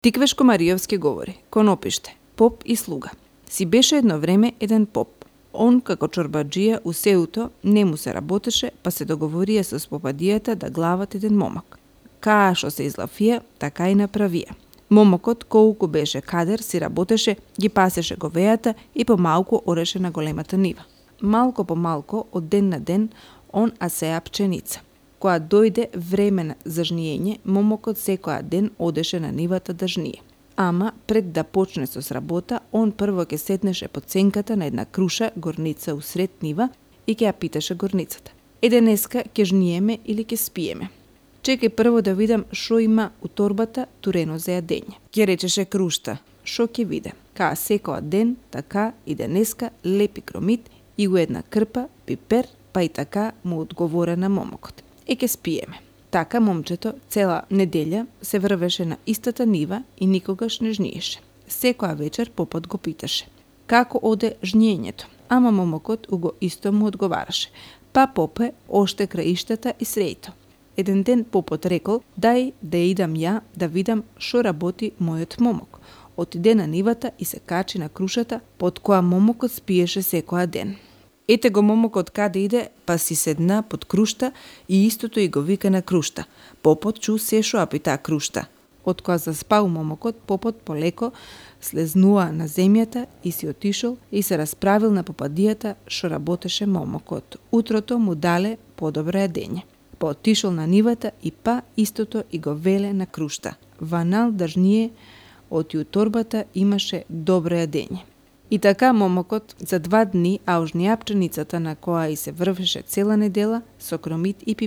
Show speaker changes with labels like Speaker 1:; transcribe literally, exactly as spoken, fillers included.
Speaker 1: Тиквешко Маријовски говори, конопиште, поп и слуга. Си беше едно време еден поп. Он, како чорбаджија, у сеуто не му се работеше, па се договорија со попадијата да глават еден момак. Каа што се излафија, така и направија. Момокот, колку беше кадер, си работеше, ги пасеше говејата и помалку ореше на големата нива. Малко по малко, од ден на ден, он асеа пченица. Кога дојде време за жниење, момокот секоја ден одеше на нивата да жние. Ама, пред да почне со сработа, он прво ќе седнеше под сенката на една круша горница усред нива и ќе ја питаше горницата. Е, денеска ќе жниеме или ќе спиеме? Чекај прво да видам шо има у торбата турено за јадење. Ќе речеше крушта, шо ќе виде? Каа секоја ден, така и денеска лепи кромит и у една крпа пипер, па и така му одговора на момокот. Е, ќе спиеме. Така момчето цела неделја се врвеше на истата нива и никогаш не жниеше. Секоја вечер попот го питаше: како оде жниењето? Ама момокот уго исто му одговараше: па попе, оште краиштата и срејто. Еден ден попот рекол: дај да идам ја да видам шо работи мојот момок. Отиде на нивата и се качи на крушата под која момокот спиеше секоја ден. Ете го момокот каде иде, па си седна под крушта и истото и го вика на крушта. Попот чу се шо апи таа крушта. Од која заспал момокот, попот полеко слезнува на земјата и си отишол и се расправил на попадијата шо работеше момокот. Утрото му дале подобро јадење. Па отишол на нивата и па истото и го веле на крушта. Ванал да жние, оти у торбата имаше добро јадење. И така момокот за два дни, а ожнија пченицата на која и се врвеше цела недела, со кромит и пипер,